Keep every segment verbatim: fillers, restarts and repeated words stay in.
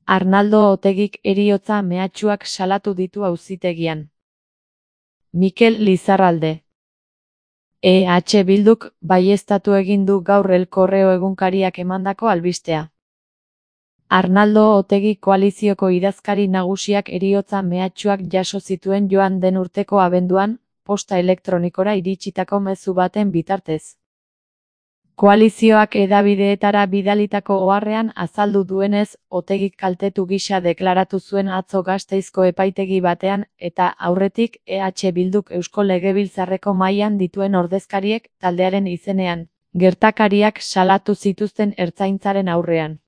Arnaldo Otegik heriotza mehatxuak salatu ditu auzitegian. Mikel Lizarralde. E H Bilduk baieztatu egin du gaur El Correo egunkariak emandako albistea. Arnaldo Otegi koalizioko idazkari nagusiak heriotza mehatxuak jaso zituen joan den urteko abenduan, posta elektronikora iritsitako mezu baten bitartez. Koalizioak hedabideetara bidalitako oharrean azaldu duenez, Otegik kaltetu gisa deklaratu zuen atzo Gasteizko epaitegi batean, eta aurretik E H Bilduk Eusko Legebiltzarreko mahaian dituen ordezkariek taldearen izenean, gertakariak salatu zituzten ertzaintzaren aurrean.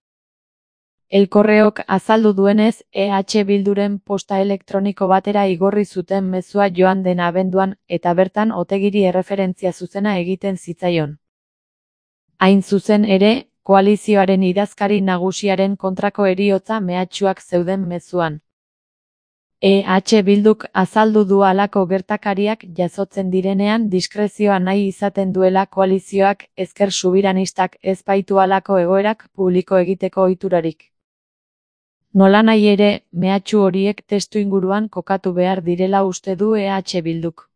El Correok azaldu duenez, E H Bilduren posta elektroniko batera igorri zuten mezua joan den abenduan, eta bertan Otegiri erreferentzia zuzena egiten zitzaion. Hain zuzen ere, koalizioaren idazkari nagusiaren kontrako heriotza mehatxuak zeuden mezuan. E H Bilduk azaldu du halako gertakariak jasotzen direnean diskrezioa nahi izaten duela koalizioak ezker subiranistak ez baitu halako egoerak publiko egiteko ohiturarik. Nolanahi ere, mehatxu horiek testuinguruan kokatu behar direla uste du E H Bilduk.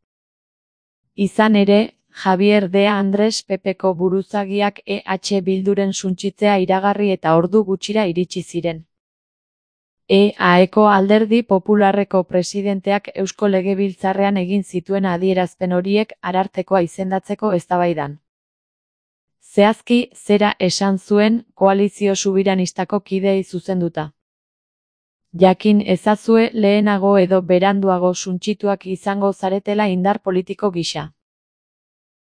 Izan ere, Javier de Andrés Pepeko buruzagiak E H Bilduren suntsitzea iragarri eta ordu gutxira iritsi ziren. E Aeko Alderdi Popularreko presidenteak Eusko Legebiltzarrean egin zituen adierazpen horiek Arartekoa izendatzeko eztabaidan. Zehazki, zera esan zuen koalizio subiranistako kideei zuzenduta. Jakin ezazue lehenago edo beranduago suntsituak izango zaretela indar politiko gisa.